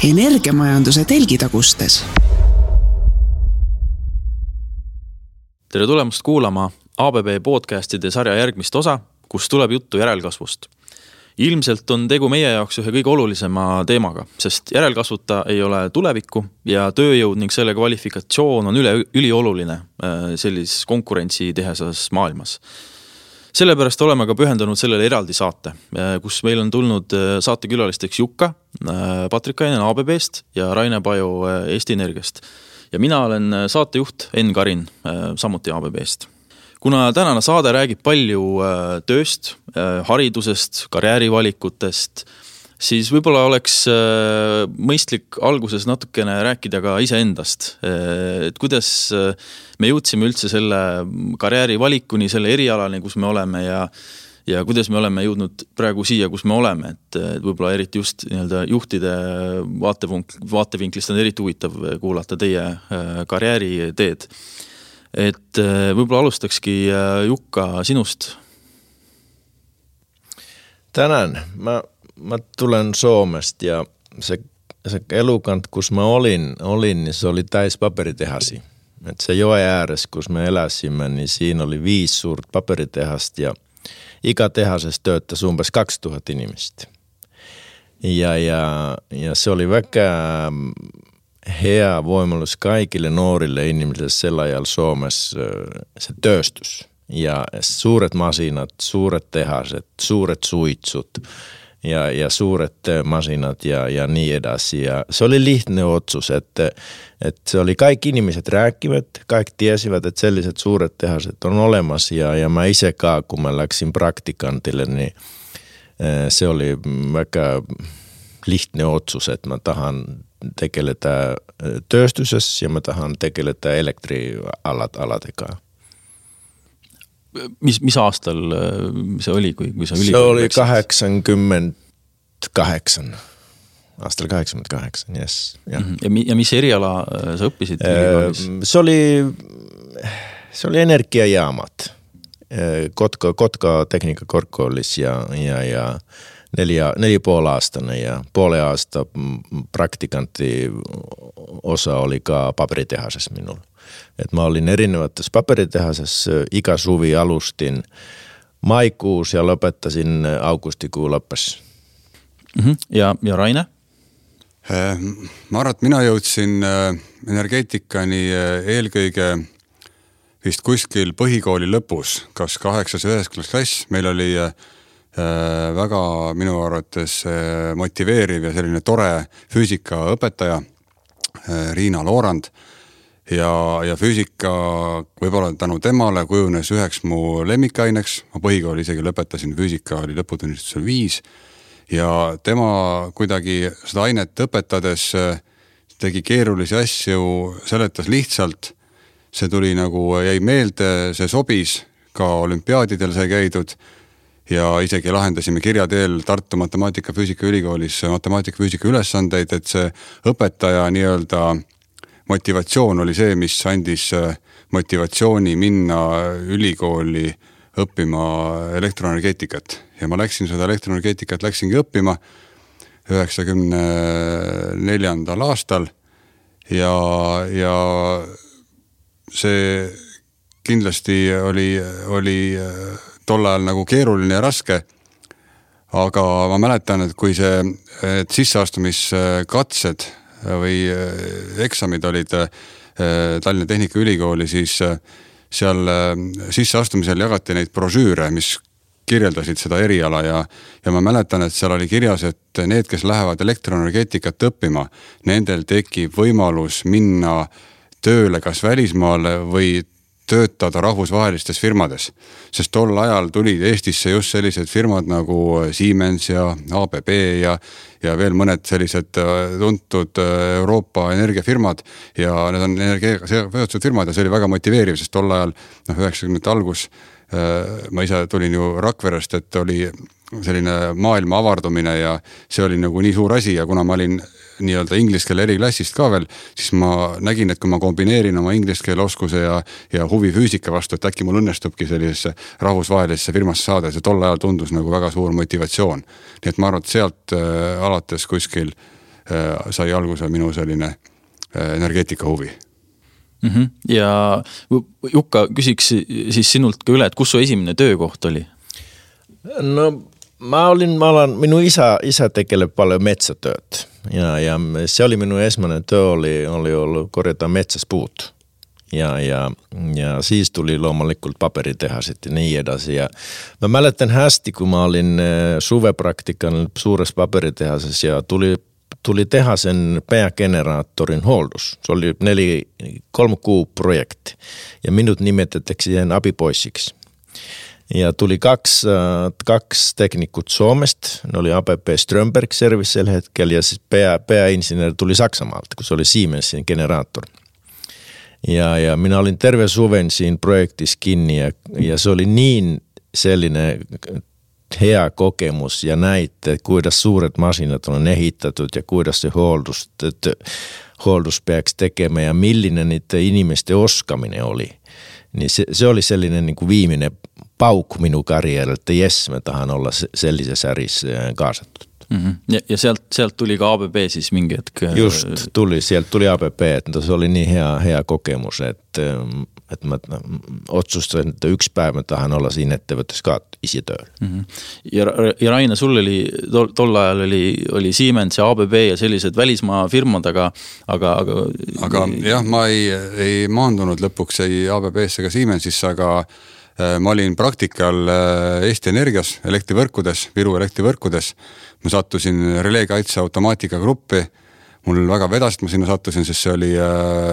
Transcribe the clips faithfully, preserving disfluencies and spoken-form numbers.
Energiamajanduse telgitagustes. Tere tulemast kuulama A B B podcastide sarja järgmist osa, kus tuleb juttu järelkasvust. Ilmselt on tegu meie jaoks ühe kõige olulisema teemaga, sest järelkasvuta ei ole tulevikku ja tööjõud ning selle kvalifikatsioon on üle, ülioluline sellises konkurentsi tehesas maailmas. Sellepärast oleme ka pühendanud sellele eraldi saate, kus meil on tulnud saatekülalisteks Jukka, Patrikainen A B B-st ja Raine Paju Eesti Energiast. Ja mina olen saatejuht Enn Karin, samuti A B B-st. Kuna tänane saade räägib palju tööst, haridusest, karjäärivalikutest, siis võib-olla oleks mõistlik alguses natukene rääkida ka iseendast. Et kuidas me jõudsime üldse selle karjäärivalikuni, selle erialani, kus me oleme ja, ja kuidas me oleme jõudnud praegu siia, kus me oleme. Et võib-olla eriti just nii-öelda juhtide vaatevinklist on eriti huvitav kuulata teie karjääriteed. Et võib-olla alustakski Jukka sinust. Tänan. Mä, mä tulen Suomesta ja se, se elukant, kus mä olin, olin, niin se oli täis paperitehasi. Et se joen ääressä, kus me eläsimme, niin siinä oli viisi suurta paperitehasta ja ikätehasessa tööttäisi umpes kaksituhatta inimistä. Ja, ja, ja se oli väkä hea voimallus kaikille nuorille ihmisille sellaajalla Suomessa se tööstys. Ja suuret masinat, suuret tehaset, suuret suitsut ja, ja suuret masinat ja, ja niin edasi. Ja se oli lihtne otsus, että, että se oli kaikki ihmiset rääkivät, kaikki tiesivät, että sellaiset suuret tehaset on olemassa. Ja, ja mä isekaan, kun mä läksin praktikantille, niin se oli väkä lihtne otsus, että mä tahan tekeletään tööstysessä ja mä tahan tekeletään elektrialat alatekaan. Mis, mis aastal see oli, kui, kui sa ülikooli Se oli kaheksakümmend-kahdeksan. Aastal kaheksakümmend-kahdeksan, yes. Ja, mm-hmm. ja, mi, ja mis eriala sa õppisid ülikoolis? Se oli, se oli energiajaamat. Kotka, Kotka tekniikkakorkeakoulis ja, ja, ja neljä, neljä puoli aastana ja puoli aasta praktikantti osa oli ka paperitehasessa minulla. Et mä olin erinävättässä paperitehasessa, ikäsuvi alustin maikuus ja lopettasin augustikuun lõppes. Mm-hmm. Ja, ja Raine? Ma arvan, et mina jõudsin energeetikani eelkõige vist kuskil põhikooli lõpus, kas kaheksas ja üheksas klass. Meil oli väga minu arvates motiveeriv ja selline tore füüsikaõpetaja Riina Loorand ja, ja füüsika võib-olla tänu temale kujunes üheks mu lemmikaineks. Ma põhikooli isegi lõpetasin, füüsika oli lõputunnistusel viis ja tema kuidagi seda ainet õpetades tegi keerulisi asju, seletas lihtsalt. See tuli nagu jäi meelde, see sobis, ka olümpiaadidel sai käidud ja isegi lahendasime kirjateel Tartu Matemaatika-Füüsika ülikoolis matemaatika-füüsika ülesandeid, et see õpetaja nii-öelda motivatsioon oli see, mis andis motivatsiooni minna ülikooli õppima elektroenergeetikat. Ja ma läksin seda elektroenergeetikat, läksingi õppima üheksakümne neljandal aastal ja, ja see kindlasti oli, oli tol ajal nagu keeruline ja raske, aga ma mäletan, et kui see et sisseastumiskatsed või eksamid olid Tallinna Tehnikaülikooli, siis seal sisseastumisel jagati neid brošüüre, mis kirjeldasid seda eriala ja, ja ma mäletan, et seal oli kirjas, et need, kes lähevad elektroenergeetikat õppima, nendel tekib võimalus minna tööle kas välismaale või töötada rahvusvahelistes firmades. Sest tol ajal tulid Eestisse just sellised firmad nagu Siemens ja A B B ja, ja veel mõned sellised tuntud Euroopa energiafirmad ja need on energiaga seotud firmad ja see oli väga motiveeriv, sest tol ajal noh, üheksakümnendate algus ma ise tulin ju Rakverest, et oli selline maailma avardumine ja see oli nagu nii suur asi ja kuna ma olin nii-öelda ingliskeele eriklassist ka veel, siis ma nägin, et kui ma kombineerin oma ingliskeele oskuse ja, ja huvi füüsika vastu, et äkki mul õnnestubki sellisesse rahvusvahelisse firmasse saada, see tol ajal tundus nagu väga suur motivatsioon. Nii et ma arvan, et sealt äh, alates kuskil sai alguse minu selline energeetika huvi. Mm-hmm. Ja Jukka, küsiks siis sinult ka üle, et kus su esimene töökoht oli? No mä olin, mä olen, minun isä, isä tekelee paljon metsätööt ja, ja se oli minun ensimmäinen työ oli, oli ollut korjata metsäspuut. Ja, ja, ja siis tuli loomulikult paperitehasit ja niin edasi. Ja mä mäletän hästi, kun mä olin suvepraktikan suuressa paperitehasessa ja tuli, tuli tehdä sen päägeneraattorin holdus. Se oli neli, kolme kuu projekti ja minut nimetettiin siihen apipoissiksi. Ja tuli kaksi, kaksi teknikut Suomesta, ne oli A P P Strömberg Service sillä hetkellä ja siis pää, pääinsinööri tuli Saksamaalta, kun se oli Siemensin generaattori. Ja, ja minä olin terve suven siinä projektissa kiinni ja, ja se oli niin sellainen hea kokemus ja näitte, kuidas suuret masinat on ehittätyt ja kuidas se holdus, holdus peaks tekemään ja millinen niiden inimisten oskaminen oli. Niin se, se oli sellainen niin kuin viimeinen paukku minun karjärille, että jes, me tahan olla sellisessä ärissä kaasattu. Mm-hmm. Ja, ja sieltä, sieltä tuli ka A B B siis mingi hetk? Just, tuli, sieltä tuli A B B, että se oli niin hea, hea kokemus, että, että mä otsustin, että yksi päivä tahan olla siinä ettevõttes ka isi tööl. Mm-hmm. Ja, ja Raina, sul oli, tol, tol ajal oli, oli Siemens ja A B B ja sellised välismaa firmad, aga aga, aga... aga jah, ma ei, ei maandunud lõpuks ei A B B-sse ega Siemensisse, aga ma olin praktikal Eesti Energias, elektrivõrkudes, Viru elektrivõrkudes. Ma sattusin releekaitse automaatika gruppi. Mul väga vedas, et ma sinna sattusin, sest see oli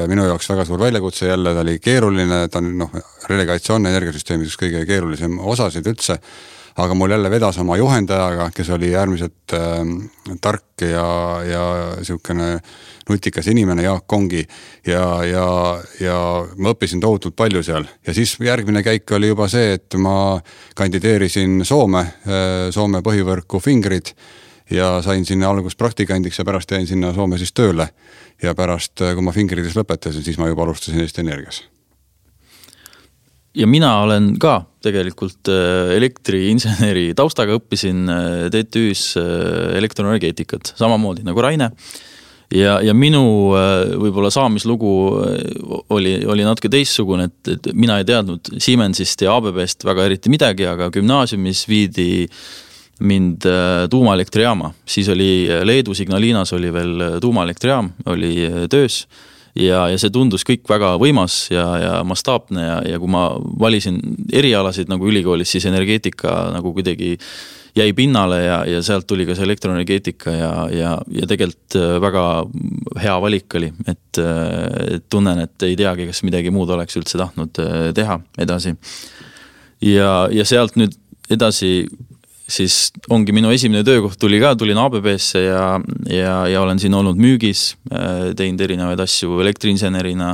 minu jaoks väga suur väljakutse jälle. Ta oli keeruline, ta on, noh, releekaitse on energiasüsteemis kõige keerulisem osasid üldse. Aga mul jälle vedas oma juhendajaga, kes oli äärmiselt äh, tark ja, ja siukene nutikas inimene, Jaak Kongi ja, ja, ja ma õppisin tohutult palju seal. Ja siis järgmine käik oli juba see, et ma kandideerisin Soome, Soome põhivõrku Fingrid ja sain sinna algus praktikandiks ja pärast jäin sinna Soome siis tööle. Ja pärast, kui ma Fingridis lõpetasin, siis ma juba alustasin Eesti Energias. Ja mina olen ka tegelikult elektriinseneri taustaga, õppisin T T Ü's elektroenergeetikat, samamoodi nagu Raine. Ja, ja minu võib-olla saamislugu oli, oli natuke teissugune, et, et mina ei teadnud Siemensist ja A B B-st väga eriti midagi, aga gümnaasiumis viidi mind tuumaelektrijaama. Siis oli Leedu Signalinas oli veel tuumaelektrijaam, oli töös. Ja, ja see tundus kõik väga võimas ja, ja mastaapne ja, ja kui ma valisin erialasid nagu ülikoolis, siis energeetika nagu kuidagi jäi pinnale ja, ja sealt tuli ka see elektroenergeetika ja, ja, ja tegelikult väga hea valik oli, et, et tunnen, et ei teagi, kas midagi muud oleks üldse tahtnud teha edasi. Ja, ja sealt nüüd edasi siis ongi minu esimene töökoht tuli ka, tulin A B B-sse ja, ja, ja olen siin olnud müügis, teinud erinevaid asju elektriinsenerina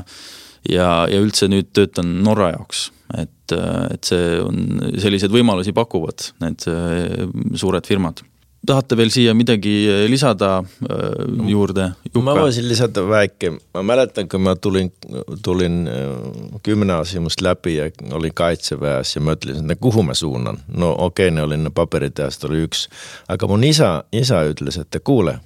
ja, ja üldse nüüd töötan Norra jaoks, et, et see on sellised võimalusi pakuvad, need suured firmad. Tahate veel siia midagi lisada juurde? Jukka? Mä voisin lisätä väikke. Mä mäletän, kun mä tulin, tulin gymnasiumista läpi ja olin kaitseväessä ja mä ötlin, että kuhu mä suunnan. No okei, ne oli ne paperit ja oli yksi. Aika mun isä, isä ytlis, että kuule,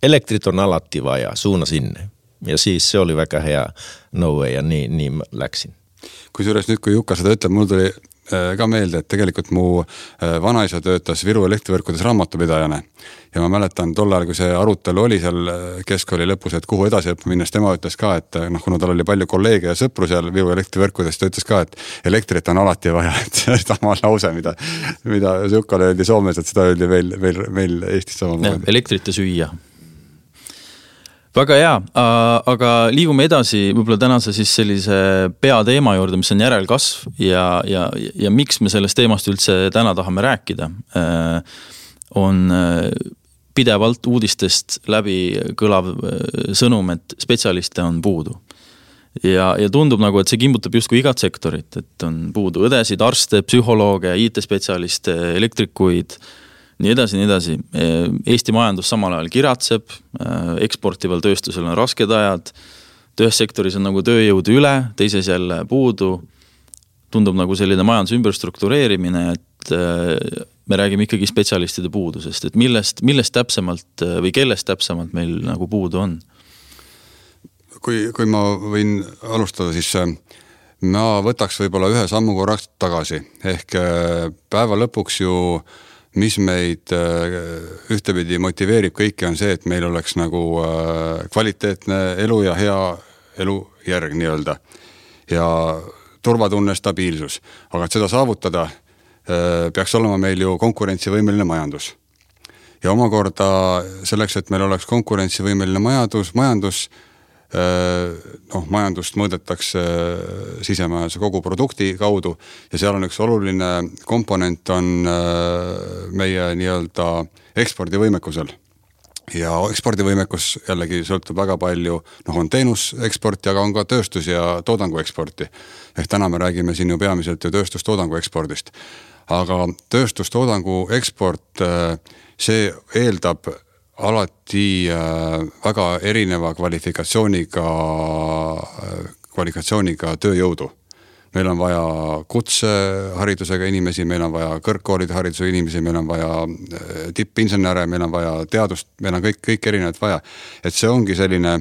elektrit on alattiva ja suuna sinne. Ja siis se oli väga hea no way ja niin, niin mä läksin. Kusjuures nüüd, kui Jukka seda ütleb, mul tuli ka meelde, et tegelikult mu vanaisa töötas Viru elektrivõrkudes raamatupidajana ja ma mäletan tol ajal, kui see arutelu oli seal keskkooli lõpus, et kuhu edasi õppima minnes, tema ütles ka, et noh, kuna tal oli palju kolleege ja sõpru seal Viru elektrivõrkudes, ta ütles ka, et elektrit on alati vaja, et sama lause, mida, mida Jukkale öeldi Soomes, et seda öeldi meil, meil, meil Eestis samamoodi. Elektrit ja süüa. Väga hea, aga liigume edasi võib-olla tänase siis sellise peateema juurde, mis on järelkasv ja, ja, ja miks me sellest teemast üldse täna tahame rääkida, on pidevalt uudistest läbi kõlav sõnum, et spetsialiste on puudu. Ja, ja tundub nagu, et see kimbutab justkui igat sektorit, et on puudu õdesid, arste, psühholooge, I T-spetsialiste, elektrikuid, nii edasi, nii edasi. Eesti majandus samal ajal kiratseb, eksportival tööstusel on rasked ajad, töössektoris on nagu tööjõudu üle, teises jälle puudu, tundub nagu selline majanduse ümberstruktureerimine, et et me räägime ikkagi spetsialistide puudusest, et millest, millest täpsemalt või kellest täpsemalt meil nagu puudu on? Kui, kui ma võin alustada, siis ma võtaks võib-olla ühe sammu korraks tagasi. Ehk päeva lõpuks ju, mis meid ühtepidi motiveerib kõiki, on see, et meil oleks nagu kvaliteetne elu ja hea elujärg nii-öelda. Ja turvatunne, stabiilsus. Aga et seda saavutada, peaks olema meil ju konkurentsivõimeline majandus. Ja omakorda selleks, et meil oleks konkurentsivõimeline majandus, majandus noh, majandust mõõdetakse sisemajanduse kogu produkti kaudu ja seal on üks oluline komponent on meie nii-öelda ekspordivõimekusel. Ja ekspordivõimekus jällegi sõltub väga palju, noh on teenuseksporti, aga on ka tööstus- ja toodangu eksporti. Ehk täna me räägime siin ju peamiselt ju tööstustoodangu ekspordist. Aga tööstustoodangu eksport, see eeldab alati väga erineva kvalifikatsiooniga, kvalifikatsiooniga tööjõudu. Meil on vaja kutseharidusega inimesi, meil on vaja kõrgkoolide hariduse inimesi, meil on vaja tippinsenere, meil on vaja teadust, meil on kõik, kõik erinevad vaja. Et see ongi selline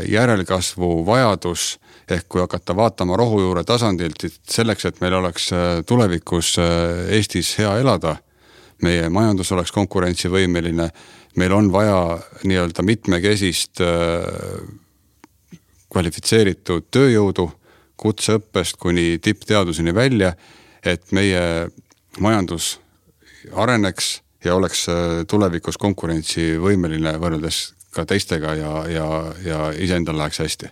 järelkasvu vajadus, ehk kui hakata vaatama rohujuure tasandilt, selleks, et meil oleks tulevikus Eestis hea elada, meie majandus oleks konkurentsivõimeline, meil on vaja nii-öelda mitmekesist kvalifitseeritud tööjõudu, kutseõppest kuni tippteaduseni välja, et meie majandus areneks ja oleks tulevikus konkurentsivõimeline võrreldes ka teistega ja, ja, ja iseendal läheks hästi.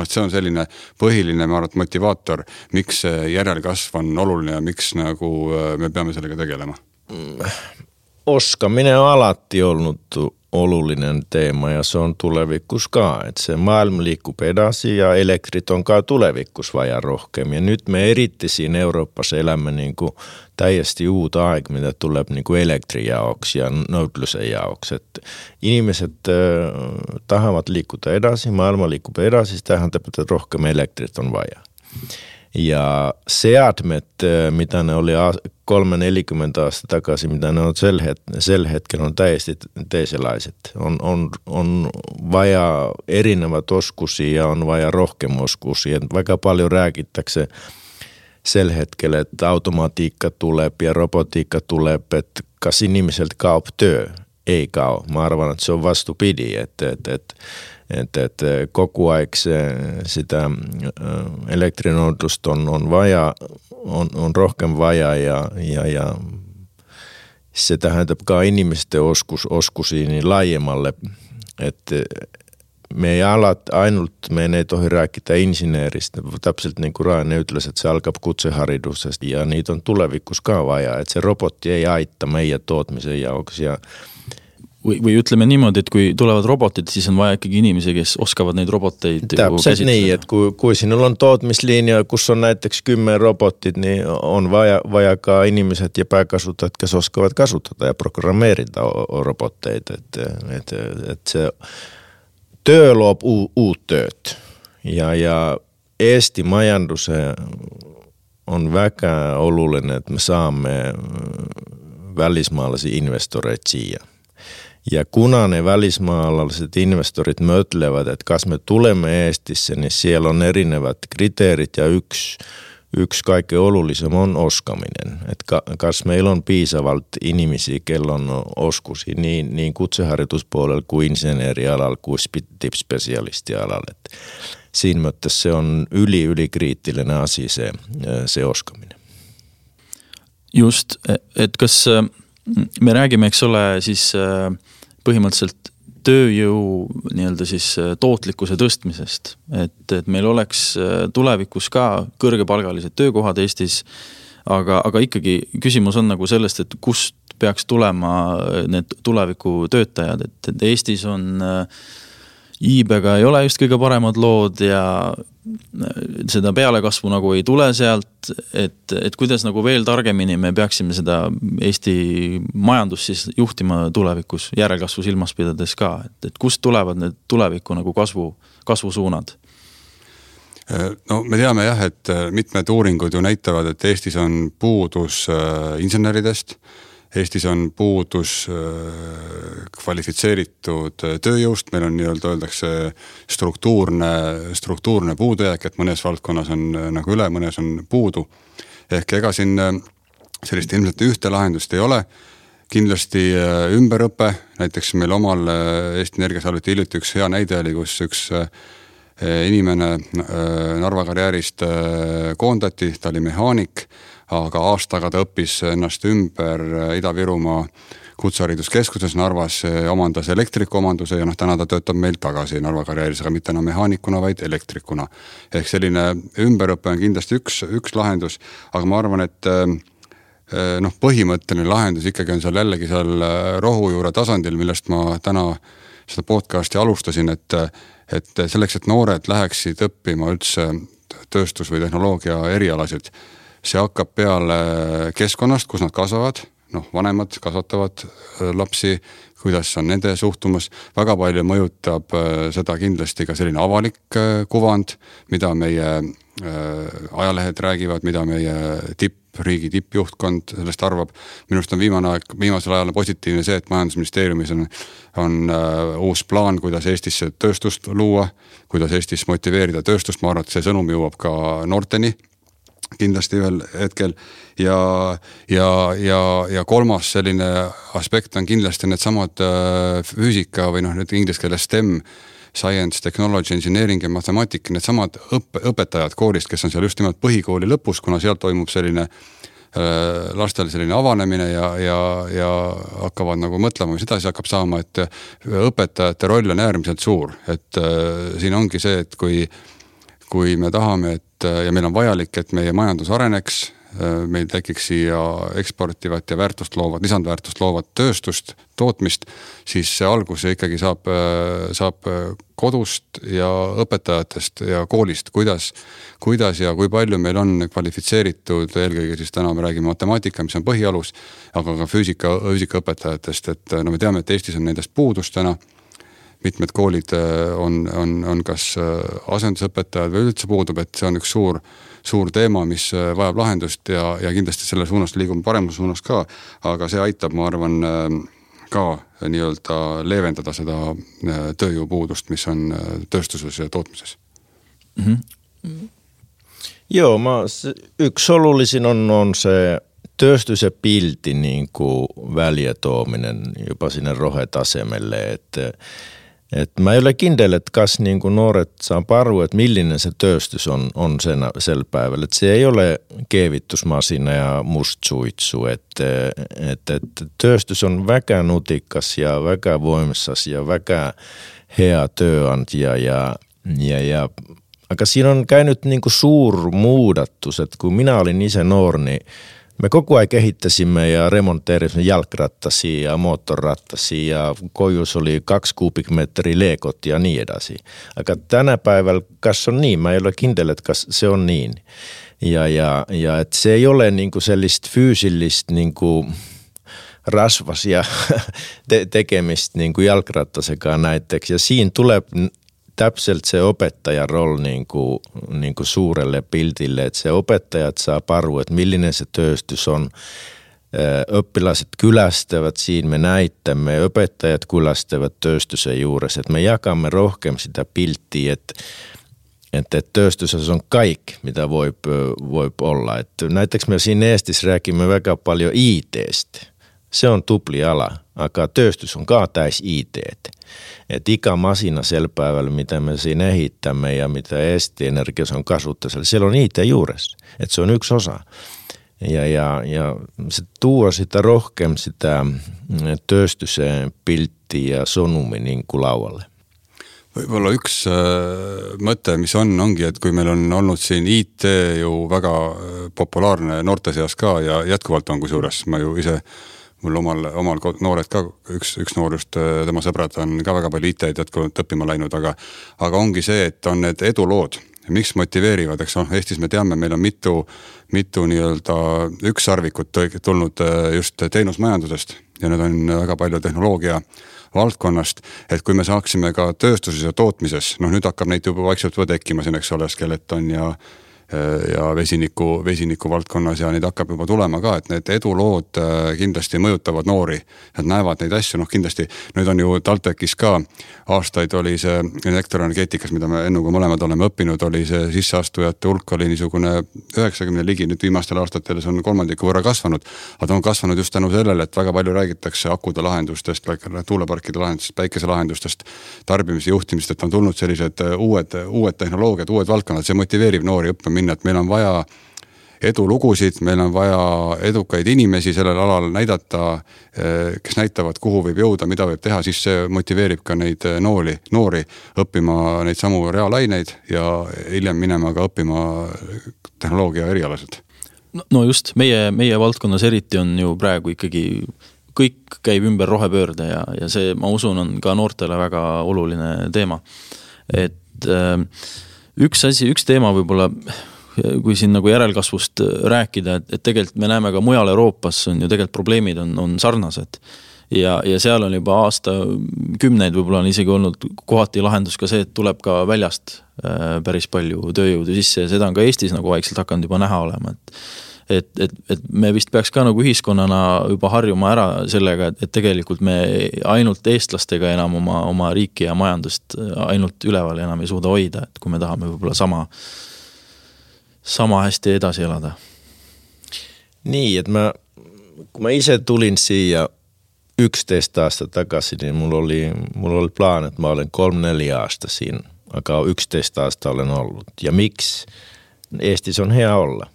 See on selline põhiline maarat motivaator, miks järelkasv on oluline ja miks nagu me peame sellega tegelema. Oskaminen on alati ollut olullinen teema ja se on tulevikus ka. Et se maailma liikkuu edasi ja elektrit on ka tulevikus vaja rohkeammin. Ja nyt me erittisiin Euroopassa elämme niinku täiesti uutta aika, mitä tulee niinku elektrijaoksi ja nõudluse jaoksi. Et ihmiset äh, tahavat liikkuta edasi, maailma liikkuu edasi, tähän täpä rohkeammin elektrit on vaja. Ja seadmet, mitä ne oli kolme neljäkymmentä aastat takaisin, mitä ne on sel hetkellä, on täysin teiselaiset. On, on, on vaja erinevät oskusia ja on vaja rohkeamoskusia. Vaikka paljon rääkittäkseen sel hetkellä, että automatiikka tulee ja robotiikka tulee, että kas ihmiseltä kaup työ. Ei kao. Mä arvan, että se on vastupidi, että, että, että Että, että koko aika sitä elektrinoitusta on, on vaja, on, on rohkean vaja ja, ja, ja se tähäntäpä inimisten oskus, oskusiin niin laajemmalle, että me ei alat ainult, me ei tohi rääkitä insinööristä, täpselt niin kuin Raine ytläs, että se alkaa kutseharidusesta ja niitä on tulevikuskaan vaja, että se robotti ei aitta meidän tootmisen jaoksi ja Või, või ütleme niimoodi, et kui tulevad robotid, siis on vaja ikkagi inimesi, kes oskavad neid roboteid täpselt niin, että kui, kui sinulla on tootmislinja, kus on näiteks kymmenen robotit, niin on vaja, vajakaan ihmiset ja pääkasutajat, kes oskavat kasuttaa ja programmeerida robotteita. Että et, et se työ luo uut tööt ja, ja Eesti majandus on väga oluline, että me saamme välismaalaisia investoreita siihen. Ja kuna ne välismaalaiset investorit mötlevät, että kas me tulemme Eestissä, niin siellä on erinevät kriteerit ja yksi, yksi kaikkein olullisem on oskaminen. Että kas meillä on piisavalt ihmisiä, kello on oskusi niin, niin kutseharjoituspuolella kuin insinöörialalla kuin tippspesialistialalla. Että siinä myötä se on yli, yli kriittinen asia se, se oskaminen. Just, et kas me räägime, eks ole, siis põhimõtteliselt tööjõu nii-öelda siis tootlikkuse tõstmisest, et, et meil oleks tulevikus ka kõrgepalgalised töökohad Eestis, aga, aga ikkagi küsimus on nagu sellest, et kust peaks tulema need tuleviku töötajad, et, et Eestis on iibega ei ole just kõige paremad lood ja seda pealekasvu nagu ei tule sealt, et, et kuidas nagu veel targemini me peaksime seda Eesti majandus siis juhtima tulevikus järelkasvu silmas pidades ka, et, et kust tulevad need tuleviku nagu kasvu, kasvusuunad? No me teame jah, et mitmed uuringud ju näitavad, et Eestis on puudus inseneridest, Eestis on puudus kvalifitseeritud tööjõust, meil on nii-öelda öeldakse struktuurne, struktuurne puudujääk, et mõnes valdkonnas on nagu üle, mõnes on puudu. Ehk ega siin sellist ilmselt ühte lahendust ei ole. Kindlasti ümberõppe, näiteks meil omal Eesti Energias alati hiljuti üks hea näide oli, kus üks inimene Narva karjäärist koondati, ta oli mehaanik, aga aastaga ta õppis ennast ümber Ida-Virumaa kutsehariduskeskuses Narvas, omandas elektrikomanduse ja noh, täna ta töötab meil tagasi Narva karjääris, aga mitte enam mehaanikuna, vaid elektrikuna. Ehk selline ümberõppe on kindlasti üks, üks lahendus, aga ma arvan, et noh, põhimõtteline lahendus ikkagi on seal jällegi seal rohujuure tasandil, millest ma täna seda podcasti alustasin, et et selleks, et noored läheksid õppima üldse tööstus- või tehnoloogia erialasid, see hakkab peale keskkonnast, kus nad kasvavad, noh, vanemad kasvatavad lapsi, kuidas on nende suhtumus, väga palju mõjutab seda kindlasti ka selline avalik kuvand, mida meie ajalehed räägivad, mida meie tipp, riigi tippjuhtkond sellest arvab. Minust on viimane aeg, viimasel ajal positiivne see, et majandusministeeriumis on, on uh, uus plaan, kuidas Eestisse tööstust luua, kuidas Eestis motiveerida tööstust, ma arvan, et see sõnum jõuab ka noorteni kindlasti ühel hetkel ja, ja, ja, ja kolmas selline aspekt on kindlasti need samad uh, füüsika või noh, nüüd inglise keeles STEM, Science, Technology, Engineering ja Mathematic, need samad õppe, õpetajad koolist, kes on seal just nimelt põhikooli lõpus, kuna seal toimub selline äh, lastel selline avanemine ja, ja, ja hakkavad nagu mõtlema, mis edasi hakkab saama, et õpetajate roll on äärmiselt suur, et äh, siin ongi see, et kui, kui me tahame, et ja meil on vajalik, et meie majandus areneks, meil tekiks siia eksportivat ja väärtust loovat, lisandväärtust loovat tööstust, tootmist, siis see algus ikkagi saab, saab kodust ja õpetajatest ja koolist, kuidas, kuidas ja kui palju meil on kvalifitseeritud, eelkõige siis täna me räägime matemaatika, mis on põhialus, aga ka füüsika, füüsika õpetajatest, et no me teame, et Eestis on nendest puudus täna, mitmed koolid on, on, on kas asendusõpetajad või üldse puudub, et see on üks suur suur teema, mis vajab lahendust ja, ja kindlasti selle suunas liigume paremus suunas ka, aga see aitab, ma arvan, ka nii-öelda leevendada seda tööjõupuudust, mis on tööstuses ja tootmises. Mm-hmm. Joo, ma, yksi olulisin on, on se tööstuse pilti niin kuin väljätoominen jopa sinne rohetasemelle, että et mä ei ole kindel, että kas niin kuin nuoret saa paru, että millinen se tööstys on, on sen, sel päivällä. Että se ei ole keevittusmasina ja mustsuitsu. Että et, et tööstys on väkä nutikas ja väkä voimissas ja väkä hea työantia. Ja, ja, ja, aika siinä on käynyt niin kuin suur muudattus, että kun minä olin isä nuori, niin me koko ajan kehittäsimme ja remonteerimme jalkrattasia ja moottorrattasia ja kojus oli kaksi kuubikmetriä leekot ja niin edasi. Aika tänä päivällä kas on niin, mä ei ole kindel, että kas se on niin. Ja, ja, ja että se ei ole niinku sellaista fyysillistä niinku rasvasia te- tekemistä niinku jalkrattasekaan näitteeksi. Ja siinä tulee täpselt se opettajan rooli niin kuin, niin kuin suurelle piltille, että se opettajat saa paru, että millinen se tööstys on. Oppilaiset kylästävät, siinä me näittämme, opettajat kylästävät tööstysen juuressa, että me jakamme rohkeammin sitä pilttiä, että, että tööstysessä on kaikki, mitä voi, voi olla. Että näitäks me siinä Eestissä rääkimme väga paljon I T:stä. Se on tupli ala, aga tööstys on ka täis I T:tä. Että ikä masina sel päivällä, mitä me siinä ehittämme ja mitä Eesti Energias on kasvuttaisella, siellä on I T juuressa. Että se on yksi osa. Ja, ja, ja se tuo sitä rohkeam sitä tööstyseen pilttiä ja sonumi niin kuin laualle. Võib-olla üks äh, mõte, mis on, ongi, et kui meil on olnud siin I T ju väga populaarne noorte seas ka ja jätkuvalt on kusjuures, ma ju ise mul omal, omal noored ka, üks, üks noor just, tema sõbrad on ka väga palju I T-d jätkuvalt õppima läinud, aga, aga ongi see, et on need edulood, miks motiveerivad, eks on, Eestis me teame, meil on mitu, mitu nii-öelda ükssarvikut tulnud just teenusmajandusest ja need on väga palju tehnoloogia valdkonnast, et kui me saaksime ka tööstuses ja tootmises, noh nüüd hakkab neid juba vaikselt juba tekkima siin, eks ole, skeleton ja ja vesiniku, vesiniku valdkonnas ja neid hakkab juba tulema ka, et need edulood kindlasti mõjutavad noori, et näevad neid asju, noh kindlasti nüüd on ju TalTechis ka aastaid oli see elektroenergeetikas, mida me ennuga mõlemad oleme õppinud, oli see sisseastujate hulk oli niisugune üheksakümne ligi, nüüd viimastel aastatel see on kolmandiku võrra kasvanud, aga ta on kasvanud just tänu sellele, et väga palju räägitakse akude lahendustest, tuuleparkide lahendustest, päikese lahendustest, tarbimise juhtimist, et on tulnud sellised uued, uued tehnoloogiad, uued valdkonnad, see motiveerib noori õppima minna, et meil on vaja edulugusid, meil on vaja edukaid inimesi sellel alal näidata, kes näitavad, kuhu võib jõuda, mida võib teha, siis see motiveerib ka neid noori, noori õppima neid samu reaalaineid ja hiljem minema ka õppima tehnoloogia erialased. No just, meie, meie valdkonnas eriti on ju praegu ikkagi kõik käib ümber rohepöörde ja, ja see, ma usun, on ka noortele väga oluline teema. Et äh, üks asi, üks teema võib-olla, kui siin nagu järelkasvust rääkida, et, et tegelikult me näeme ka mujal Euroopas on ju tegelikult probleemid on, on sarnased. Ja, ja seal on juba aasta kümneid võib-olla on isegi olnud kohati lahendus ka see, et tuleb ka väljast äh, päris palju tööjõudu sisse ja seda on ka Eestis nagu vaikselt hakanud juba näha olema, et Et, et, et me vist peaks ka nagu ühiskonnana juba harjuma ära sellega, et, et tegelikult me ainult eestlastega enam oma, oma riiki ja majandust ainult üleval enam ei suuda hoida, et kui me tahame võib-olla sama, sama hästi edasi elada. Nii, et ma, kui ma ise tulin siia üksteist aastat tagasi, niin mul oli, mul oli plaan, että mä olen kolme neljä aasta siinä, aga üksteist aasta olen ollut. Ja miksi? Eestis on hea olla.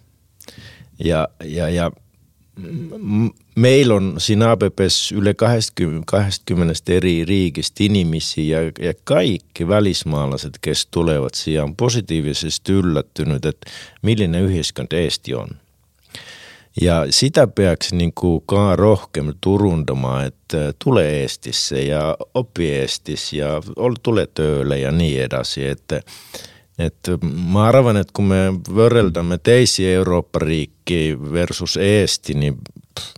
Ja, ja, ja meillä on siinä A B P:ssä yli kaksikymmentä eri riikistä inimisiä ja, ja kaikki välismaalaiset, kes tulevat siihen, on positiivisesti yllättynyt, että millinen yhteiskunta Eesti on. Ja sitä peaks niin kuin ka rohkeammin turuntamaan, että tulee Eestissä ja oppi Eestissä ja tulee töölle ja niin edasi, että Et mä arvan, että kun me vörreltämme teisiä Eurooppa-riikkiä versus Eesti, niin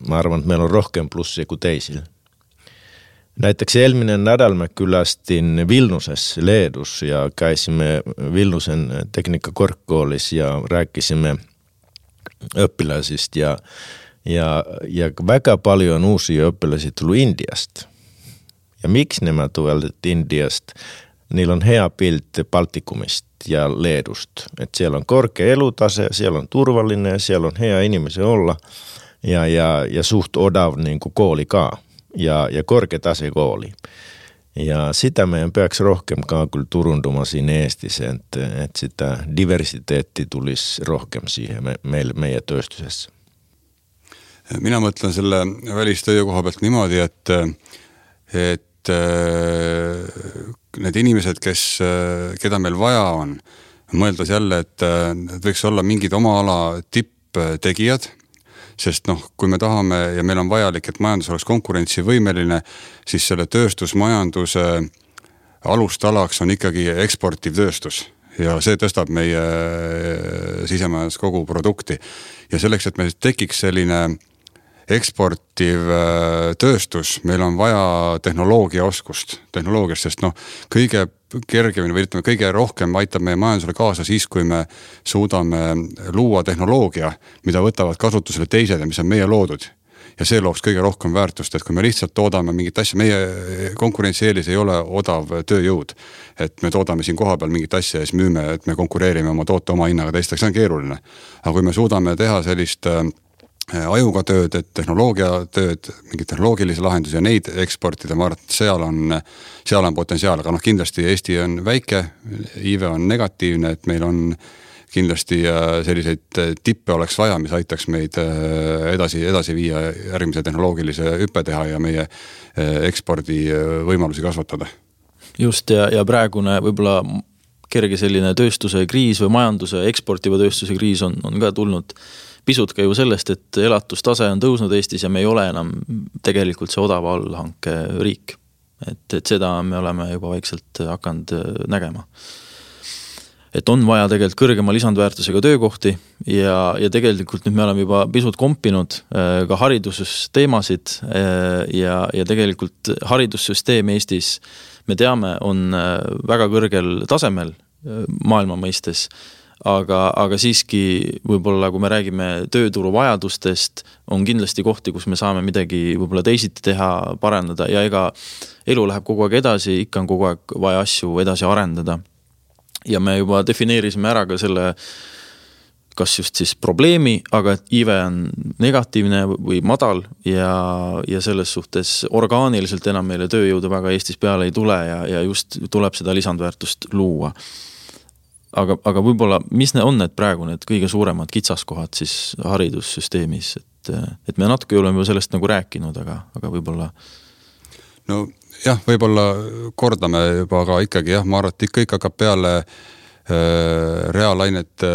mä arvan, että meillä on rohkean plussia kuin teisillä. Näitäksi elminen nädäl mä kylästin Vilnusessa Leedus ja käisimme Vilnusen tekniikkakorkeakoulussa ja rääkisimme oppilaisista ja, ja, ja väga paljon uusia oppilaisia tullut Indiasta. Ja miksi nämä tulevat Indiasta? Niillä on hea piltti Baltikumista ja Leedusta. Että siellä on korkea elutase, siellä on turvallinen ja siellä on hea ihmisen olla ja, ja, ja suht odav niin kuin koolikaa ja, ja korkea tase kooli. Ja sitä meidän peaks rohkeamkaan kyllä turuntumaan siinä Eestissä, että, että sitä diversiteetti tulisi rohkeam siihen me, meille, meidän tööstusessä. Minä mõtlen selle välistöö koha pealt niimoodi, et, et need inimesed, kes, keda meil vaja on, mõeldes jälle, et võiks olla mingid oma ala tipptegijad, sest noh, kui me tahame ja meil on vajalik, et majandus oleks konkurentsivõimeline, siis selle tööstusmajanduse alustalaks on ikkagi eksportiv tööstus ja see tõstab meie sisemajandus kogu produkti. Ja selleks, et meil tekiks selline eksportiv tööstus, meil on vaja tehnoloogia oskust, tehnoloogiast, sest noh, kõige kergemini või ütleme, kõige rohkem aitab meie majandusele kaasa siis, kui me suudame luua tehnoloogia, mida võtavad kasutusele teised ja mis on meie loodud. Ja see looks kõige rohkem väärtust, et kui me lihtsalt toodame mingit asja, meie konkurentsieelis ei ole odav tööjõud, et me toodame siin koha peal mingit asja ja siis müüme, et me konkureerime oma toote oma hinnaga teisteks, see on keeruline. Aga kui me suudame teha sellist ajuga tööd, et tehnoloogia tööd, mingi tehnoloogilisi lahendusi ja neid eksportida, ma arvan, et seal on, seal on potentsiaal, aga noh, kindlasti Eesti on väike, I V on negatiivne, et meil on kindlasti selliseid tippe oleks vaja, mis aitaks meid edasi, edasi viia järgmise tehnoloogilise hüppe teha ja meie ekspordi võimalusi kasvatada. Just ja, ja praegune võib-olla kerge selline tööstuse kriis või majanduse eksportiva tööstuse kriis on, on ka tulnud pisut ka ju sellest, et elatustase on tõusnud Eestis ja me ei ole enam tegelikult see odava allhanke riik. Et, et seda me oleme juba vaikselt hakanud nägema. et on vaja tegelikult kõrgema lisandväärtusega töökohti ja, ja tegelikult nüüd me oleme juba pisut kompinud ka haridusteemasid ja, ja tegelikult haridussüsteem Eestis, me teame, on väga kõrgel tasemel maailma mõistes, aga, aga siiski võib-olla, kui me räägime tööturu vajadustest, on kindlasti kohti, kus me saame midagi võib-olla teisiti teha, parandada ja ega elu läheb kogu aeg edasi, ikka on kogu aeg vaja asju edasi arendada. Ja me juba defineerisime ära ka selle, kas just siis probleemi, aga et I V on negatiivne või madal ja, ja selles suhtes orgaaniliselt enam meile tööjõudu väga Eestis peale ei tule ja, ja just tuleb seda lisandväärtust luua. Aga, aga võib-olla, mis ne on need praegu need kõige suuremad kitsaskohad siis haridussüsteemis, et, et me natuke oleme ju sellest nagu rääkinud, aga, aga võib-olla... No jah, võib-olla kordame juba, aga ikkagi jah, ma arvan, et kõik hakkab peale äh, reaalainete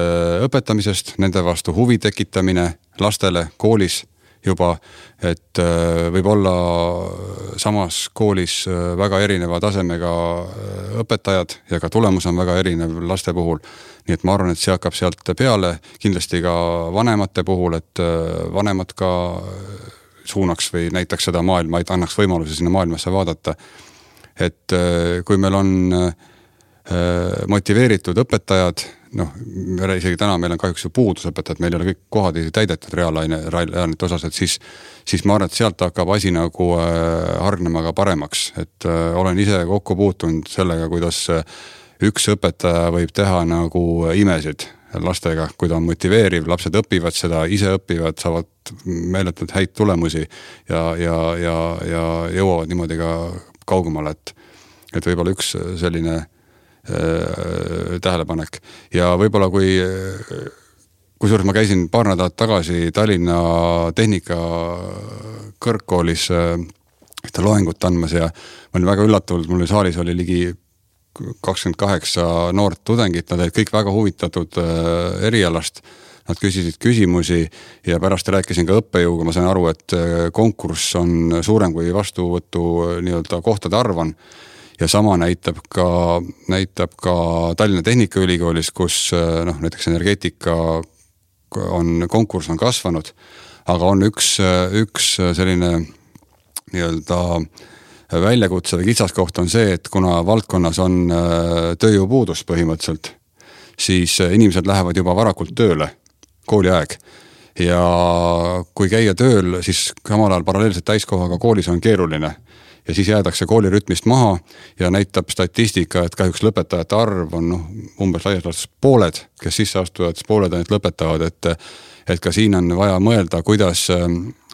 õpetamisest, nende vastu huvi tekitamine lastele koolis juba, et äh, võib olla samas koolis väga erineva tasemega õpetajad ja ka tulemus on väga erinev laste puhul. Nii et ma arvan, et see hakkab sealt peale, kindlasti ka vanemate puhul, et vanemad ka suunaks või näitaks seda maailma, et annaks võimaluse sinna maailmasse vaadata. Et kui meil on motiveeritud õpetajad, noh, isegi täna meil on kahjuks ju puudusõpetajad, meil ei ole kõik kohad täidetud reaalaine, reaalainete osas, et siis, siis ma arvan, et sealt hakkab asi nagu hargnema ka paremaks, et olen ise kokku puutunud sellega, kuidas üks õpetaja võib teha nagu imesid lastega, kui ta on motiveeriv, lapsed õpivad seda, ise õpivad, saavad meeletult häid tulemusi ja, ja, ja, ja jõuavad niimoodi ka kaugemale, et, et võib-olla üks selline tähelepanek. Ja võib-olla kui, kui suures ma käisin paar nädalat tagasi Tallinna tehnika kõrgkoolis ühte loengut andmas ja ma olin väga üllatunud, mul saalis oli ligi kakskümmend kaheksa noort tudengit, nad olid kõik väga huvitatud erialast, nad küsisid küsimusi ja pärast rääkisin ka õppejõuga, ma sain aru, et konkurss on suurem kui vastuvõtu nii-öelda kohtade arv on. Ja sama näitab ka, näitab ka Tallinna Tehnikaülikoolis, kus noh, näiteks energeetika on, konkurss on kasvanud, aga on üks, üks selline nii-öelda väljakutse või kitsaskoht on see, et kuna valdkonnas on tööjõupuudus põhimõtteliselt, siis inimesed lähevad juba varakult tööle, kooliaeg. Ja kui käia tööl, siis samal ajal paralleelselt täiskohaga koolis on keeruline. Ja siis jäädakse koolirütmist maha ja näitab statistika, et kahjuks lõpetajate arv on noh, umbes laias pooled, kes sisse astuvad, pooled ainult lõpetavad, et, et ka siin on vaja mõelda, kuidas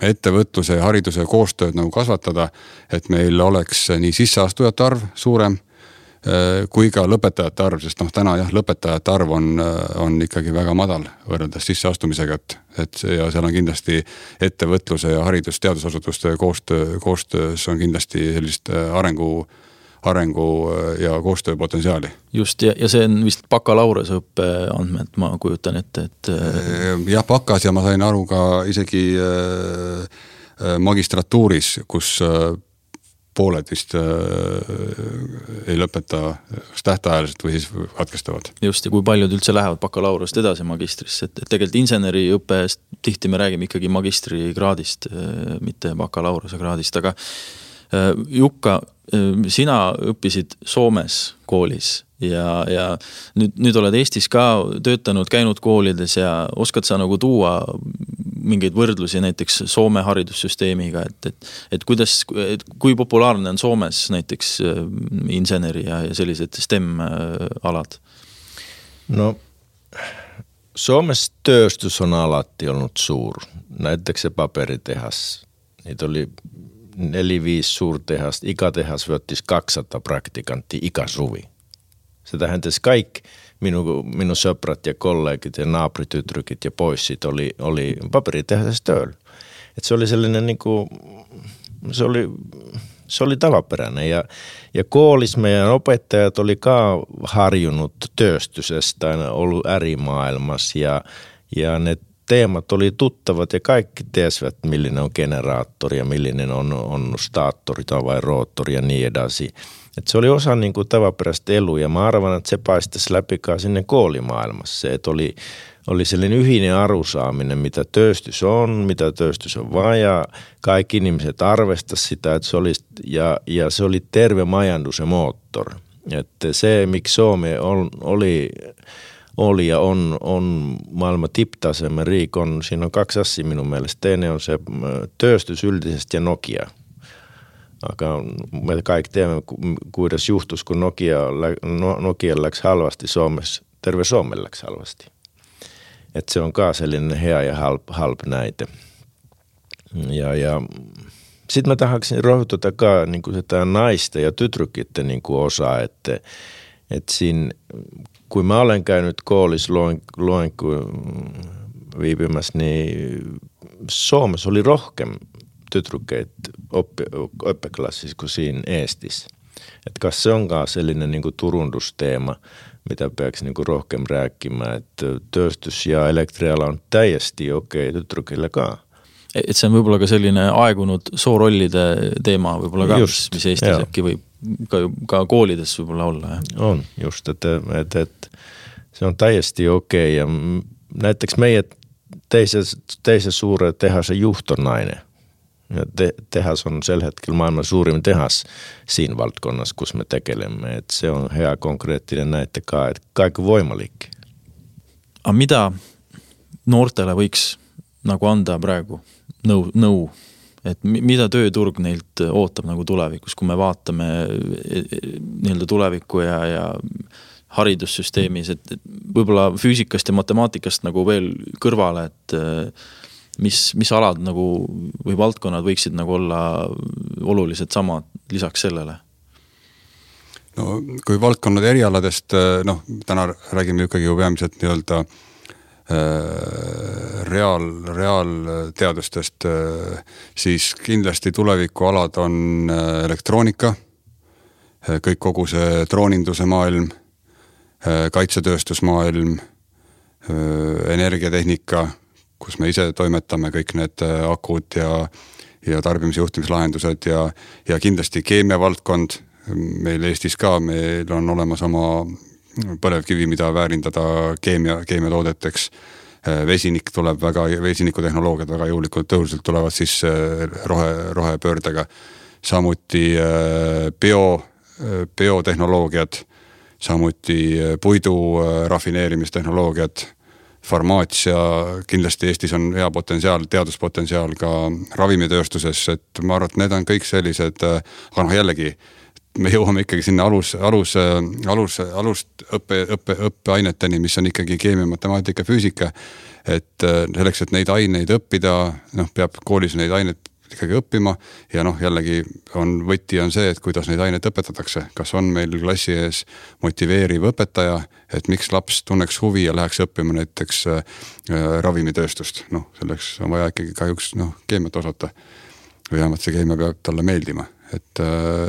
ettevõtluse ja hariduse koostööd nagu kasvatada, et meil oleks nii sisseastujate arv suurem kui ka lõpetajate arv, sest noh, täna jah, lõpetajate arv on, on ikkagi väga madal võrreldes sisseastumisega, et, et ja seal on kindlasti ettevõtluse ja haridus- teadusasutuste koostöö, koostöös on kindlasti sellist arengu, arengu ja koostööpotentsiaali. Just, ja, ja see on vist bakalaureuse õppe andmed, ma kujutan ette, et... Jah, bakas ja ma sain aru ka isegi magistratuuris, kus pooled vist äh, ei lõpeta tähtajaliselt või siis katkestavad. Just, ja kui paljud üldse lähevad bakalaureust edasi magistrisse, et, et tegelikult inseneriõppest tihti me räägime ikkagi magistrikraadist, äh, mitte bakalaureuse kraadist, aga äh, Jukka, äh, sina õppisid Soomes koolis ja, ja nüüd, nüüd oled Eestis ka töötanud, käinud koolides ja oskad sa nagu tuua mingeid võrdlusi näiteks Soome haridussüsteemiga, et, et, et kuidas, et kui populaarne on Soomes näiteks inseneri ja, ja sellised STEM-alad? No, Soomes tööstus on alati olnud suur. Näiteks se paperitehas. Niitä oli neli viisi suurtehast. Iga tehas võttis kaksisataa praktikantti iga suvi. Se tähentäisi kaikki minun, minun söprat ja kollegit ja naapuritytrykit ja poissit oli, oli paperitehasessa tööllä. Et se oli sellainen niinku, se oli, se oli tavaperäinen ja, ja koolis meidän opettajat oli ka harjunut tööstysestä, ollut äärimaailmassa ja, ja ne teemat oli tuttavat ja kaikki tiesivät, millinen on generaattori ja millinen on, on staattori tai vai roottori ja niin edasi. Et se oli osa niin kuin tavaperäistä elua ja mä arvan, että se paistaisi läpikaan sinne koolimaailmassa. Se, että oli, oli sellainen yhinen arusaaminen, mitä tööstys on, mitä tööstys on vaan ja kaikki ihmiset arvestasivat sitä, että se oli, ja, ja se oli terve majandus ja moottori. Että se, miksi Suomi on, oli... oli ja on, on maailman tiptasemen riikon. Siinä on kaksi asiaa minun mielestä. Teine on se tööstys yldisesti ja Nokia. Aika me kaikki tiedämme, kuidas juhtus, kun Nokia, Nokia läks halvasti Suomessa, terve Suomelle läks halvasti. Että se on kaa sellainen hea ja halp, halp näitä. Ja, ja sitten mä tahaksin rohtuta kaa niin kuin sitä naista ja tytrykitte niin kuin osaa, että, että siinä... Kun mä olen käynyt koolissa loin, loin viipymässä, niin Suomessa oli rohkem tytrykeit oppi, oppiklassissa kuin siinä Eestissä. Että kas se onkaan sellainen niin kuin turundusteema, mitä peaks niin kuin rohkem rääkkimään, että tööstys ja elektriala on täiesti okei okay, tytrykillekaan. Et see on võib-olla ka selline aegunud soorollide teema võib-olla ka, just, mis Eestis äkki võib ka, ka koolides võib-olla olla. Ja. On just, että et, et, se on täiesti okei. Ja näiteks meie teise, teise suure tehase juhtonainen. Ja te, tehas on sel hetkellä maailman suurin tehas siinä valtkonnassa, kus me tekelemme. Et se on hea konkreettinen näittekaan, että kaikki voimaliikki. A mida noortele võiks nagu anda praegu nõu, nõu, et mida tööturg neilt ootab nagu tulevikus, kui me vaatame nii-öelda tulevikku ja, ja haridussüsteemis, et võib-olla füüsikast ja matemaatikast nagu veel kõrvale, et mis, mis alad nagu või valdkonnad võiksid nagu olla olulised samad lisaks sellele? No kui valdkonnad erialadest, noh, täna räägime ikkagi ju peamiselt nii-öelda reaal, reaalteadustest, siis kindlasti tulevikualad on elektroonika, kõik kogu see drooninduse maailm, kaitsetööstusmaailm, energiatehnika, kus me ise toimetame kõik need akud ja, ja tarbimisjuhtimislahendused ja, ja kindlasti keemia valdkond, meil Eestis ka, meil on olemas oma põlevkivi, mida väärindada keemia, keemiatoodeteks. Vesinik tuleb väga, vesinikutehnoloogiad väga jõulikult tõuselt tulevad siis rohe, rohepöördega. Samuti bio, biotehnoloogiad, samuti puidu rafineerimistehnoloogiad, farmaatsia, kindlasti Eestis on hea potentsiaal, teaduspotentsiaal ka ravimitööstuses, et ma arvan, et need on kõik sellised, aga noh jällegi, me jõuame ikkagi sinna alus, alus, alus, alust õppe, õppe, õppeaineteni, mis on ikkagi keemia, matemaatika, füüsika, et selleks, et neid aineid õppida, noh, peab koolis neid aineid ikkagi õppima ja noh, jällegi on, võti on see, et kuidas neid aineid õpetatakse, kas on meil klassi ees motiveeriv õpetaja, et miks laps tunneks huvi ja läheks õppima näiteks äh, ravimitööstust, noh, selleks on vaja ikkagi kahjuks noh, keemiat osata või vähemalt see keemia peab talle meeldima. Et,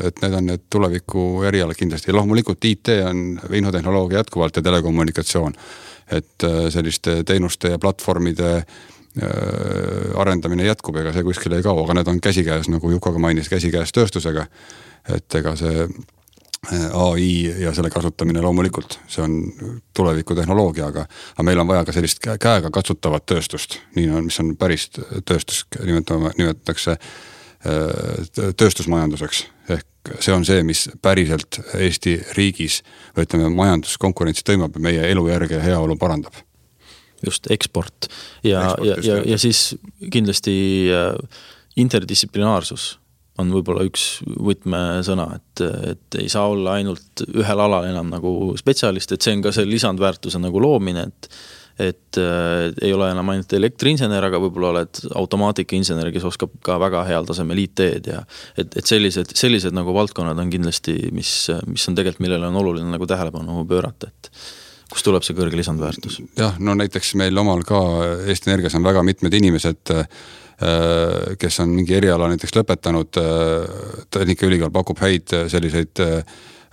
et need on need tuleviku erialad kindlasti. Ja loomulikult I T on infotehnoloogia jätkuvalt ja telekommunikatsioon. Et selliste teenuste ja platvormide arendamine jätkub, ega see kuskil ei kao, aga need on käsikäes, nagu Jukoga mainis, käsikäes tööstusega. Et ega see A I ja selle kasutamine loomulikult, see on tuleviku tehnoloogia, aga, aga meil on vaja ka sellist käega katsutavat tööstust, nii on, mis on päris tööstus, nimetatakse tööstusmajanduseks. Ehk see on see, mis päriselt Eesti riigis, või ütleme, majanduskonkurentsi tõimab ja meie elujärge ja heaolu parandab. Just, eksport. Ja, eksport ja, ja, ja siis kindlasti interdistsiplinaarsus on võib-olla üks võtmesõna, et, et ei saa olla ainult ühel alal enam nagu spetsialist, et see on ka see lisandväärtuse nagu loomine, et et äh, ei ole enam ainult elektriinsener, aga võib-olla oled automaatikainsener, kes oskab ka väga heal tasemel I T-d ja et, et sellised, sellised nagu valdkonnad on kindlasti, mis, mis on tegelikult, millele on oluline nagu tähelepanu pöörata, et kus tuleb see kõrge lisandväärtus? Jah, no näiteks meil omal ka Eesti Energias on väga mitmed inimesed, kes on mingi eriala näiteks lõpetanud, Tehnikaülikool pakub häid selliseid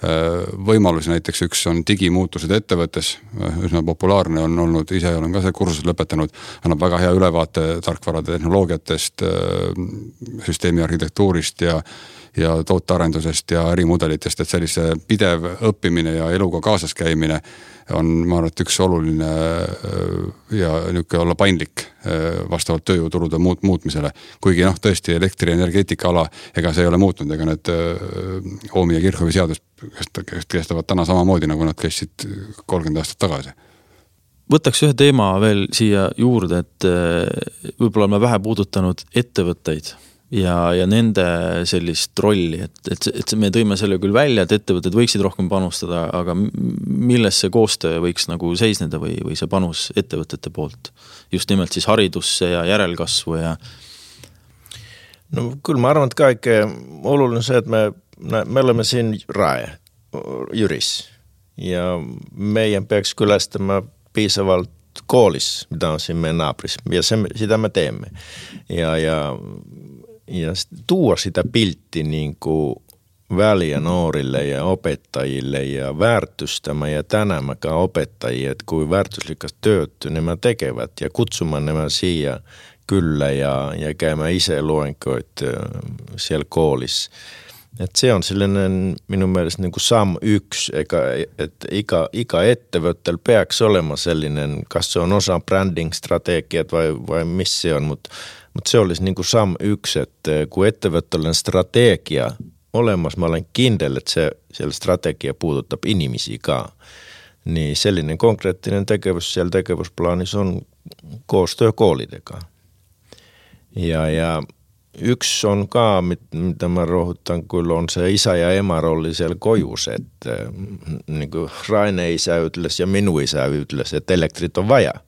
võimalusi, näiteks üks on digimuutused ettevõttes, üsna populaarne on olnud, ise olen ka see kursus lõpetanud, annab väga hea ülevaate tarkvarade tehnoloogiatest, süsteemi arhitektuurist ja ja tootearendusest ja ärimudelitest, et sellise pidev õppimine ja eluga kaasas käimine on, ma arvan, et üks oluline ja niuke olla paindlik vastavalt tööjõuturude muut, muutmisele. Kuigi noh, tõesti elektrienergeetika ala, ega see ei ole muutnud, ega need Oomi ja Kirchhoffi seadus kestavad täna samamoodi, nagu nad kestsid kolmkümmend aastat tagasi. Võtaks ühe teema veel siia juurde, et võib-olla me vähe puudutanud ettevõtteid ja, ja nende sellist rolli, et, et, et me tõime selle küll välja, et ettevõtted võiksid rohkem panustada, aga milles see koostöö võiks nagu seisneda või, või see panus ettevõtete poolt? Just nimelt siis haridusse ja järelkasvu ja... No küll ma arvan, et kaikke oluline see, et me, me oleme siin Rae, Jüris ja meidän peaks külästämään piisavalt koolis, mitä on siinä meidän naapurissa ja se, sitä me teemme ja, ja ja tuua sitä piltti niin kuin väliä nuorille ja opettajille ja väärtystämä ja tänämäkään opettajia, että kuin väärtyslikas työtty nämä tekevät ja kutsumaan nämä siihen kyllä ja, ja käymään itse luenkoit siellä koolissa. Et se on sellainen minun mielestä niin kuin sam yksi, että ikä, ikä ettevöttel peaks olemaan sellainen, kas se on osa branding-strategiat vai, vai missä se on, mutta Mutta se olisi niin kuin sam yksi, että kun ettevöttöllinen strategia olemassa, mä olen kindel, että se siellä strategia puututtaa inimisikaan, niin sellainen konkreettinen tekevys siellä tekevysplaanissa on koostyö koolitekaan. Ja, ja yksi on ka, mitä mä rohuttan kyllä, on se isä ja ema rolli siellä kojus, että niin kuin Raine isä ytles ja minun isä ytles, että elektrit on vajaa.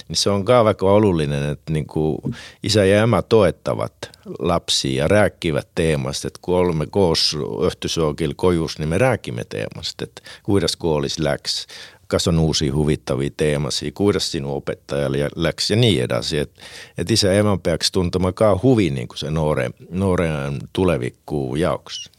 Niin se on kaavako olullinen, että niinku isä ja emä toettavat lapsia ja rääkkivät teemasta, että kun olemme koos öhtysookilla kojus, niin me rääkimme teemasta, että kuidas koolis läks, kas on uusia huvittavia teemasia, kuidas sinun opettajalle läks ja niin edasi, että et isä ja emä peaks tuntamaan kaa huvi niinku se nooreen, nooreen tulevikkuun jaoksi.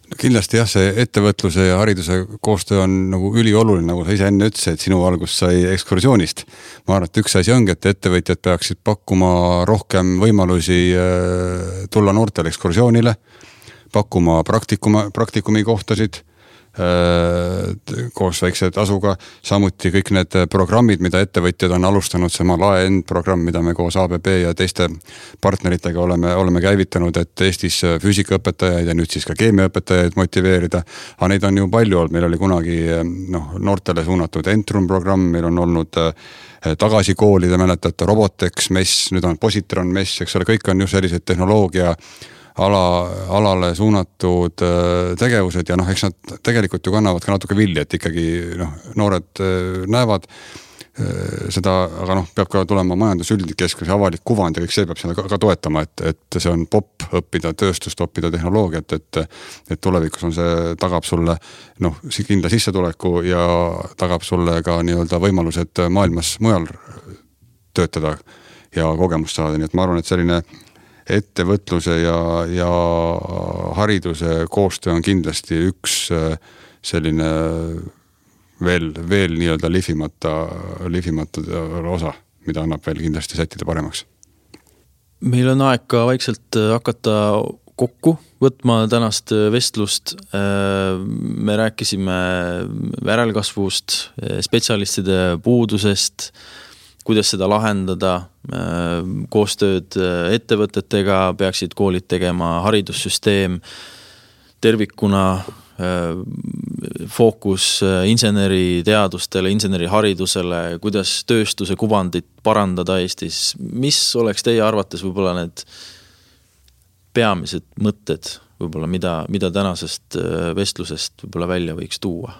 No kindlasti jah, see ettevõtluse ja hariduse koostöö on nagu ülioluline, nagu sa ise enne ütlesid, et sinu algus sai ekskursioonist. Ma arvan, et üks asi ongi, et ettevõtjad peaksid pakkuma rohkem võimalusi tulla noortele ekskursioonile, pakkuma praktikuma, praktikumi kohtasid koos väikse tasuga, samuti kõik need programmid, mida ettevõtjad on alustanud, see Lae-End programm, mida me koos A B B ja teiste partneritega oleme, oleme käivitanud, et Eestis füüsikaõpetajaid ja nüüd siis ka keemiaõpetajaid motiveerida, aga neid on ju palju olnud, meil oli kunagi noh, noortele suunatud Entrum programm, meil on olnud tagasi koolide, mäletate, Robotex, MES, nüüd on Positron, MES, eks ole, kõik on ju sellised tehnoloogia ala, alale suunatud tegevused ja noh, eks nad tegelikult ju kannavad ka natuke vilja, et ikkagi noh, noored näevad seda, aga noh, peab ka tulema majandusüldik keskus ja avalik kuvand ja kõik see peab seda ka, ka toetama, et, et see on popp õppida tööstust, õppida tehnoloogiat, et, et tulevikus on see, tagab sulle noh, kindla sissetuleku ja tagab sulle ka nii-öelda võimalused maailmas mujal töötada ja kogemust saada, nii et ma arvan, et selline ettevõtluse ja, ja hariduse koostöö on kindlasti üks selline veel, veel nii-öelda lihvimata, lihvimata osa, mida annab veel kindlasti sättida paremaks. Meil on aeg ka vaikselt hakata kokku võtma tänast vestlust. Me rääkisime järelkasvust, spetsialistide puudusest, kuidas seda lahendada, koostööd ettevõtetega, peaksid koolid tegema, haridussüsteem tervikuna, fookus inseneriteadustele, inseneriharidusele, kuidas tööstuse kuvandit parandada Eestis. Mis oleks teie arvates võib-olla need peamised mõtted, võib-olla mida, mida tänasest vestlusest võib-olla välja võiks tuua?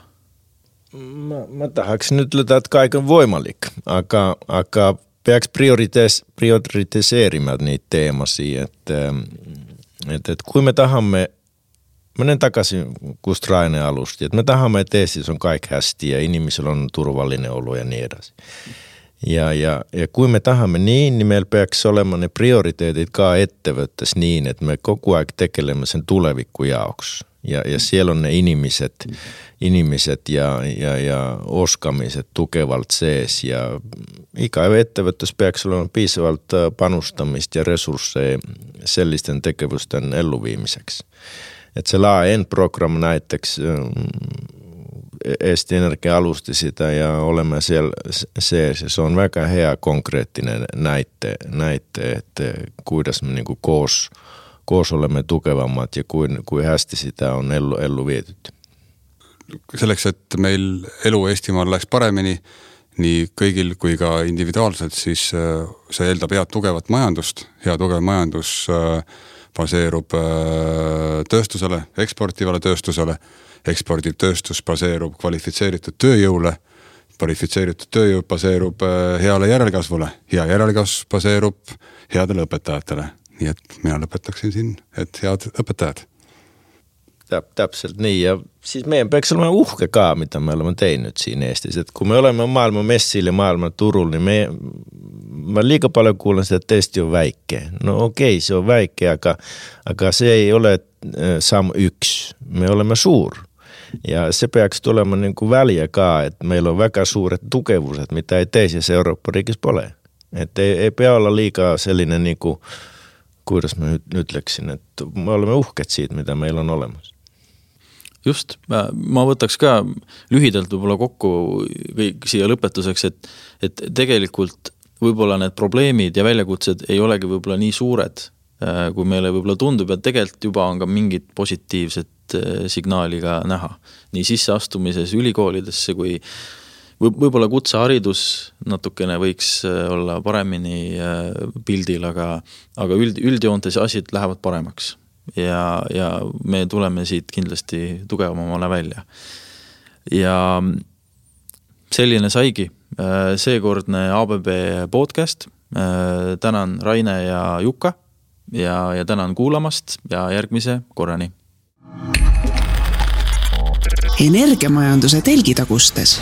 Mä, mä tahaksin nyt löytää, että kaiken voimalik, aga, aga peaks prioritees, prioritiseerimaan niitä teemasia, että, että, että kun me tahamme, menen takaisin kust Raine alusti, että me tahamme, että Eestissä on kaikki hästi ja inimisellä on turvallinen olo ja niin edasi. Ja, ja, ja kun me tahamme niin, niin meillä peaks olemaan ne prioriteetit kaa ettevöttäisi niin, että me koko ajan tekelemme sen tulevikkujaoksi. Ja, ja siellä on ne inimiset, inimiset ja, ja, ja oskamiset tukevalt sees. Ja ikävä ettevõttes peaks olema piisavalt panustamist ja resursseja sellisten tekevusten elluviimiseksi. Et se laajen programm näiteks Eesti Energia alusti sitä ja olemme siellä sees. Se on väga hea konkreettinen näitte, näitte että kuidas me niinku koos koos olemme tukevammat ja kuin, kuin hästi sitä on ellu, ellu vietyt. Selleks, et meil elu Eestimaal läks paremini, nii kõigil kui ka individuaalselt, siis see eeldab head tugevat majandust. Hea tugev majandus baseerub tööstusele, eksportivale tööstusele. Eksportiv tööstus baseerub kvalifitseeritud tööjõule. Kvalifitseeritud tööjõud baseerub heale järelkasvule. Hea järelkasv baseerub headele õpetajatele. Nii et mina lõpetaksin siin, et head õpetajad. Täp, täpselt nii ja siis meidän peaks olema uhke ka, mitä me olemme teinyt siinä Eestis. Et kun me olemme maailman messillä ja maailman turulla, niin me, mä liikaa paljon kuulen sitä, että Eesti on väikkeä. No okei, se on väikkeä, aga, aga se ei ole sam yksi. Me olemme suur. Ja se peaks tulemaan niin kuin väliä ka, että meillä on väga suuret tukevuuset, mitä ei teisissä Eurooppa-riikissä ole. Että ei, ei pea olla liikaa sellainen niin kuin kuidas mä nyt, nyt läksin, että me olemme uhket siitä, mitä meillä on olemassa. Just, ma, ma võtaks ka lühidalt võib-olla kokku kõik siia lõpetuseks, et, et tegelikult võib-olla need probleemid ja väljakutsed ei olegi võib-olla nii suured, kui meile võib-olla tundub, et tegelikult juba on ka mingit positiivset signaali ka näha. Nii sisseastumises ülikoolidesse kui võib-olla kutseharidus natukene võiks olla paremini pildil, aga, aga üld, üldjoontes asjad lähevad paremaks ja, ja me tuleme siit kindlasti tugevamale välja. Ja selline saigi seekordne A B B podcast. Tänan Raine ja Jukka ja, ja tänan kuulamast ja järgmise korrani. Energiamajanduse telgitagustes